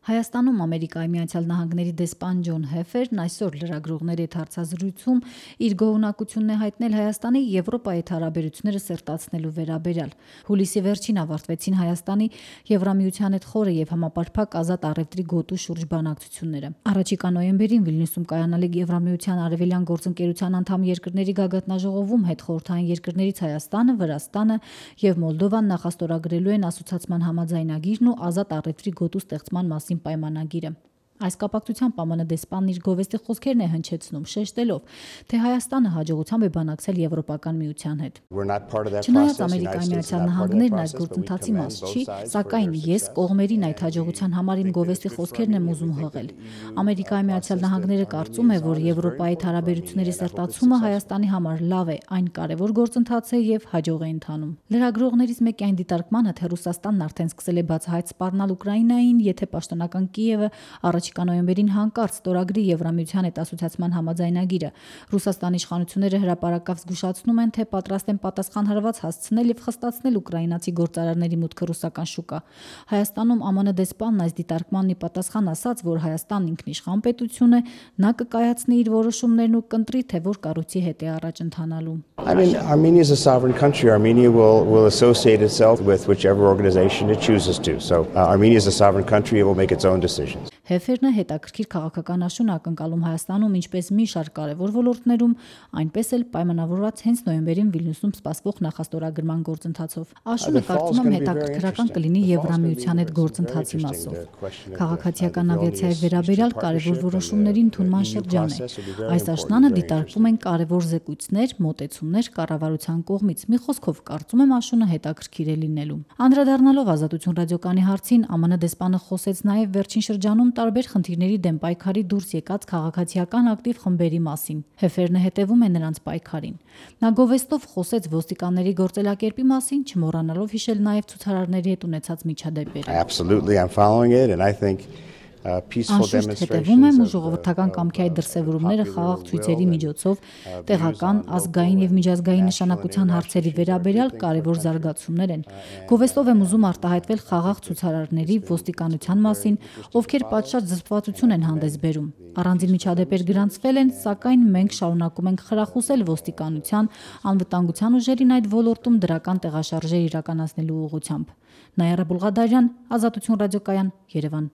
Հայաստանում Ամերիկայի Միացյալ Նահանգների դեսպան Ջոն Հեֆերն այսօր լրագրողների հետ հարցազրույցում իր գոհունակությունն է հայտնել Հայաստանի Եվրոպայի հետ հարաբերությունները սերտացնելու վերաբերյալ։ Հուլիսի վերջին ավարտվեցին Հայաստանի Եվրամիության հետ խորը եւ համապարփակ ազատ առևտրի գոտու շուրջ բանակցությունները։ Առաջիկա նոյեմբերին Վիլնյուսում կայանալիք Եվրամիության արևելյան գործընկերության անդամ երկրների գագաթնաժողովում հետխորհրդային երկրներից Հայաստանը, Վրաստանը եւ Մոլդովան նախաստորագրելու են ասոցիացիան համաձայնագիրն ու ազատ առևտրի գոտու ստեղծման մասին պայմանագիրը։ Այս կապակցությամբ ԱՄՆ դեսպանն իր գովեստի խոսքերն է հնչեցնում, շեշտելով, թե Հայաստանը հաջողությամբ է բանակցել Եվրոպական միության հետ։ Չնայած Ամերիկայի Միացյալ Նահանգներն այս գործընթացի մաս չի, սակայն ես կողմերին այդ հաջողության համար իմ գովեստի խոսքերն եմ ուզում հղել։ Ամերիկայի Միացյալ Նահանգները կարծում է, որ Եվրոպայի հետ հարաբերությունների սերտացումը Հայաստանի համար լավ է, այն կարևոր գործընթաց է եւ հաջող է ընթանում։ Լրագրողներից մեկի այն դիտարկմանը, թե Ռուսաստանն արդեն սկսել է բացահայտ սպառնալ Ուկրաինային, եթե պաշտոնական Կիևը առաջիկա նոյեմբերին հանկարծ ստորագրի Եվրամիության հետ ասոցիացիան համաձայնագիրը, Ռուսաստանի իշխանությունները հրապարակավ զգուշացնում են, թե պատրաստ են պատասխան հարված հասցնել եւ խստացնել ուկրաինացի գործարարների մուտքը ռուսական շուկա։ Հայաստանում ԱՄՆ դեսպանն այս դիտարկմանն ի պատասխան ասաց, որ Հայաստանն ինքնիշխան պետություն է, նա կկայացնի իր որոշումներն ու կընտրի, թե որ կառույցի հետ է առաջ ընթանալու։ Armenia is a sovereign country. Armenia will associate itself with whichever organization it chooses to. So Armenia is a sovereign country. It will make its own decisions. Հեֆերն է հետաքրքիր քաղաքական աշուն ակնկալում Հայաստանում ինչպես մի շարք կարևոր ոլորտներում, այնպես էլ պայմանավորված հենց նոյեմբերին Վիլնյուսում սպասվող նախաստորագրման գործընթացով։ Աշունը կարծում եմ հետաքրքրական կլինի Եվրամիության հետ գործընթացի մասով։ Քաղաքացիական ավիացիայի վերաբերյալ կարևոր որոշումների ընդունման շրջան է։ Այս աշնանը դիտարկվում են կարևոր զեկույցներ, մոտեցումներ կառավարության կողմից։ Մի խոսքով կարծում եմ աշունը հետաքրքիր է լինելու։ Անդրադառնալով Ազատություն ռադիոկայանի հարցին, ԱՄՆ դեսպանը խոսեց նաև վերջին շրջանում տարբեր խնդիրների դեմ պայքարի դուրս եկած քաղաքացիական ակտիվ խմբերի մասին։ Հեֆերնը հետևում է նրանց պայքարին։ Նա գովեստով խոսեց ոստիկանների գործելակերպի մասին, չմոռանալով հիշել նաև ցուցարարների հետ ունեցած միջադեպերը։ Absolutely, I'm following it and I think Անշուշտ հետևում եմ ու ժողովրդական կամքի այդ դրսևորումները խաղաղ ցույցերի միջոցով տեղական, ազգային եւ միջազգային նշանակության հարցերի վերաբերյալ կարևոր զարգացումներ են։ Գովեստով եմ ուզում արտահայտվել խաղաղ ցուցարարների ոստիկանության մասին, ովքեր պատշաճ զսպվածություն են հանդես բերում։ Առանձին միջադեպեր գրանցվել են, սակայն մենք շարունակում ենք խրախուսել ոստիկանության, անվտանգության ուժերին այդ ոլորտում դրական տեղաշարժեր իրականացնելու ուղղությամբ։ Նայարա Բուլղադարյան, Ազատություն ռադիոկայան, Երևան։